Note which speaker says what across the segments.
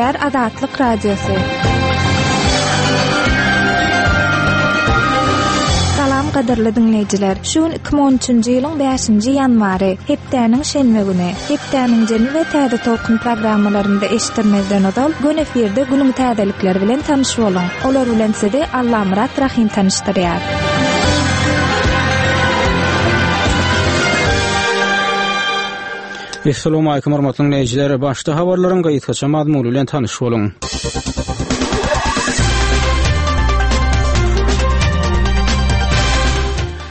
Speaker 1: Gepleýär Azatlyk Radiosy. Salam gadyrly diňleýjiler. Şu gün 2013-nji ýylyň 5-nji ýanwary, hepdäniň şenbe güni. Hepdäniň jemi we täze tolkun programmalarynda eşitdirmezden ozal, göni efirde günüň täzelikleri bilen tanyş boluň. Olar bilen sizi Allamyrat Rahym tanyşdyrýar.
Speaker 2: Essalawmalikim hormatly diňleýjiler. Başda habarlaryň gysgaça mazmuny bilen tanyş boluň.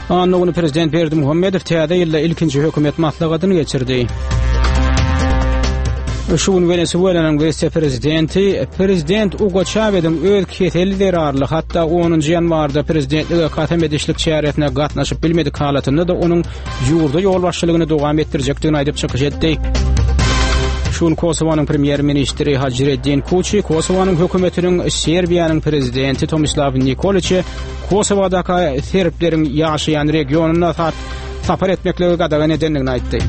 Speaker 2: Anna güni prezident Berdimuhamedow täze ýylda ilkinji hökümet maslahatyny geçirdi. Şu gün Wenesuelanyň wise-prezidenti prezident Ugo Çaweziň öz keseli zerarly hatda 10-njy ýanwarda prezidentlige kasam edişlik çäresine gatnaşyp bilmedik halatynda-da onuň ýurda ýolbaşçylygyny dowam etdirjekdigini aýdyp çykyş etdi. Şu gün Kosowanyň premýer-ministri Hajreddin Kuçi Kosowanyň hökümetiniň Serbiýanyň prezidenti Tomislaw Nikoliçe Kosowadaky serbleriň ýaşaýan regionyna sapar etmekligi gadagan edendigini aýtdy.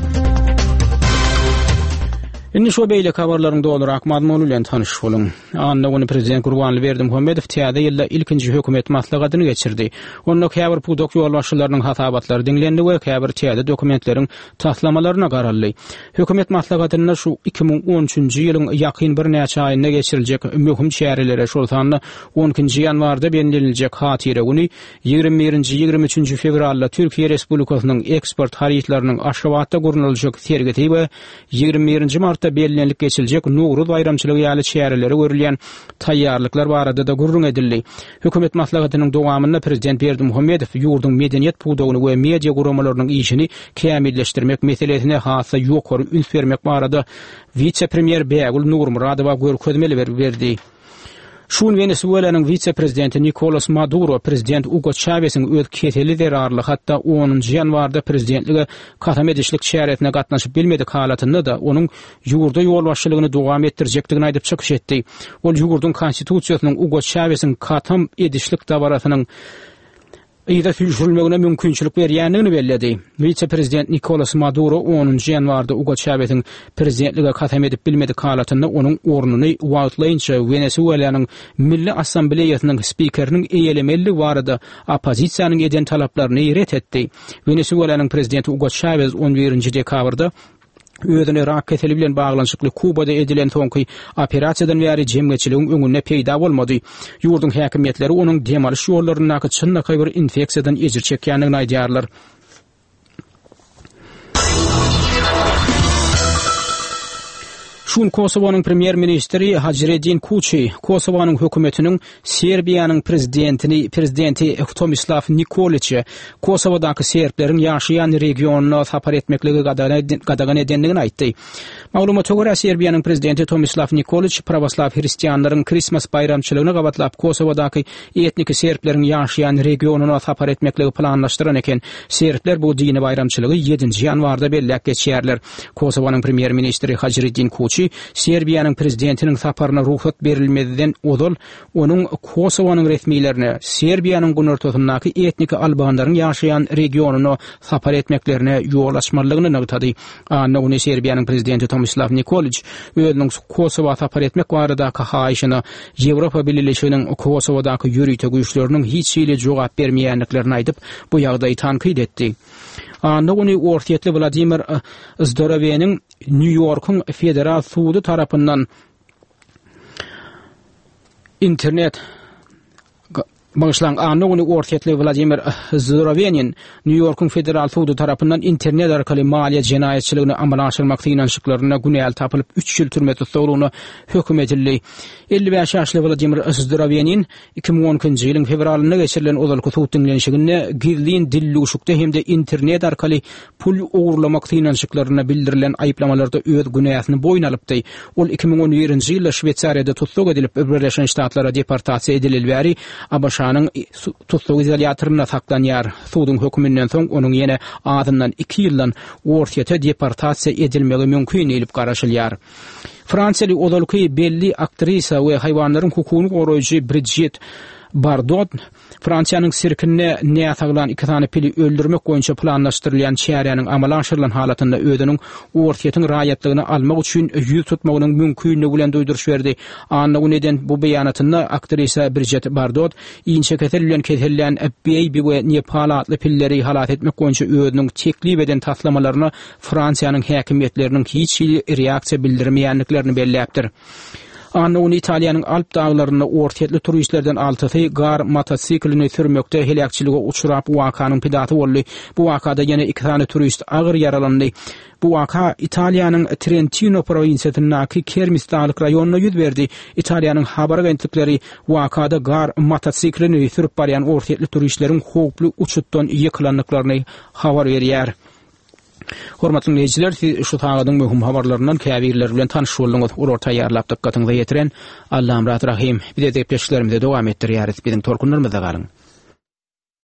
Speaker 2: Indi şu beýleki habarlaryň dolurak mazmuny bilen tanyş boluň. Anna güni prezident Gurbanly Berdimuhamedow täze ýylda ilkinji hökümet maslahatyny geçirdi. Onda käbir pudak ýolbaşçylarynyň hasabatlary diňlendi we käbir täze dokumentleriň taslamalaryna garaldy. Hökümet maslahatynda şu 2013-nji ýylyň ýakyn birnäçe aýynda geçiriljek möhüm çärelere, şol sanda on ikinji ýanwarda belleniljek Hatyra güni, ýigrimi birinji, ýigrimi üçünji fewralda Türkiýe Respublikasynyň eksport harytlarynyň Aşgabatda gurnaljak sergisi we ýigrimi birinji martda bellenilip geçiljek Nowruz baýramçylygy ýaly çärelere görülýän taýýarlyklar barada-da gürrüň edildi. Hökümet maslahatynyň dowamynda prezident Berdimuhamedow ýurduň medeniýet pudagyny we media guramalarynyň işini kämilleşdirmek meselesine has-da ýokary üns bermek barada wise-premýer Bägül Nurmyradowa görkezmeleri berdi. Şu gün Wenesuelanyň wise-prezidenti Nikolas Maduro prezident Ugo Çawesiň öz keseli zerarly hatda onunjy ýanwarda prezidentlige kasam edişlik çäresine gatnaşyp bilmedik halatynda-da, onuň ýurda ýolbaşçylygyny dowam etdirjekdigini aýdyp çykyş etdi. Ol ýurduň Konstitusiýasynyň Ugo Çawesiň kasam edişlik dabarasynyň yza süýşürilmegine mümkinçilik berýändigini belledi. Wise-prezident Nikolas Maduro onunjy ýanwarda Ugo Çawesiň prezidentlige kasam edip bilmedik halatynda onuň ornuny wagtlaýynça Wenesuelanyň Milli Assambleýasynyň spikeriniň eýelemelidigi barada oppozisiýanyň eden talaplaryny ret etdi. Wenesuelanyň prezidenti Ugo Çawez on birinji dekabrda özüne rak keseli bilen baglanyşykly Kubada edilen soňky operasiýadan bäri jemgyýetçiligiň öňünde peýda bolmady. Ýurduň häkimiýetleri onuň dem alyş ýollaryndaky çynlakaý bir infeksiýadan ejir çekýändigini aýdýarlar. Şu gün Kosowanyň premýer-ministri Hajreddin Kuçi Kosowanyň hökümetiniň Serbiýanyň prezidentini prezidenti Tomislaw Nikoliçe Kosowadaky serbleriň ýaşaýan regionyna sapar etmekligi gadagan edendigini aýtdy. Maglumata görä, Serbiýanyň prezidenti Tomislaw Nikoliç prawoslaw hristianlaryň Krismas baýramçylygyna gabatlap Kosowadaky etniki serbleriň ýaşaýan regionyna sapar etmekligi planlaşdyran eken. Serbler bu dini baýramçylygy ýedinji ýanwarda belläp geçýärler. Kosowanyň premýer-ministri Hajreddin Kuçi Serbiýanyň prezidentiniň saparyna rugsat berilmezden ozal onuň Kosowanyň resmilerine Serbiýanyň günortasyndaky etniki albanlaryň ýaşaýan regionyna sapar etmeklerine ýol açmalydygyny nygtady. Anna güni Serbiýanyň prezidenti Tomislaw Nikoliç özüniň Kosowa sapar etmek baradaky haýyşyna Ýewropa Bileleşiginiň Kosowadaky ýörite güýçleriniň hiç hili jogap bermeýändiklerini aýdyp, bu ýagdaýy tankyt etdi. Anna güni orsýetli Wladimir Zdoroweniň Nýu-Ýorkuň federal sudy tarapyndan internet Bagyşlaň, anna güni orsýetli Wladimir Zdorowenin Nýu-Ýorkuň federal sudy tarapyndan internet arkaly maliýe jenaýatçylygyny amala aşyrmak synanyşyklarynda günäli tapylyp, üç ýyl türme tussaglygyna höküm edildi. 55 ýaşly Wladimir Zdorowenin 2012-nji ýylyň fewralynda geçirilen ozalky sud diňlenişiginde gizlin dildüwşükde hem-de internet arkaly pul ogurlamak synanyşyklarynda bildirilen aýyplamalarda öz günäsini boýun alypdy. Ol 2011-nji ýylda Şweýsariýada tussag edilip, Birleşen Ştatlara deportasiýa edileli bäri ABŞ-nyň tussag izolýatorynda saklanýar. Suduň höküminden soň onuň ýene azyndan iki ýyldan Orsýete deportasiýa edilmegi mümkin diýlip garaşylýar. Fransiýaly ozalky belli aktrisa we haýwanlaryň hukugyny goraýjy Brijit. Bardot Fransiýanyň sirkinde näsaglan iki sany pili öldürmek boýunça planlaşdyrylýan çäräniň amala aşyrylan halatynda özüniň Orsýetiň raýatlygyny almak üçin ýüz tutmagynyň mümkinligi bilen duýduryş berdi. Anna güni eden bu beýanatynda aktrisa Brijet Bardot inçekesel bilen kesellän Beýbi we Nepal atly pilleri halas etmek boýunça özüniň teklip eden taslamalaryna Fransiýanyň häkimiýetleriniň hiç hili reaksiýa bildirmeýändiklerini belläpdir. Anna güni Italiýanyň Alp daglarynda orsýetli turistlerden altysy gar motosiklini sürmekde heläkçilige uçrap, wakanyň pidasy boldy. Bu wakada ýene iki sany turist agyr ýaralandy. Bu waka Italiýanyň Trentino prowinsiýasyndaky Kermis daglyk raýonynda ýüz berdi. Italiýanyň habar agentlikleri wakada gar motosiklini sürüp barýan orsýetli turistleriň howply uçutdan ýykylandyklaryny habar berýär. Hormatly diňleýjiler, siz şu sagadyň möhüm habarlaryndan käbirleri bilen tanyş bolduňyz. Olary taýýarlap dykgatyňyza ýetiren Allamyrat Rahym. Biz gepleşiklerimizi dowam etdirýäris. Biziň tolkunlarymyzda galyň.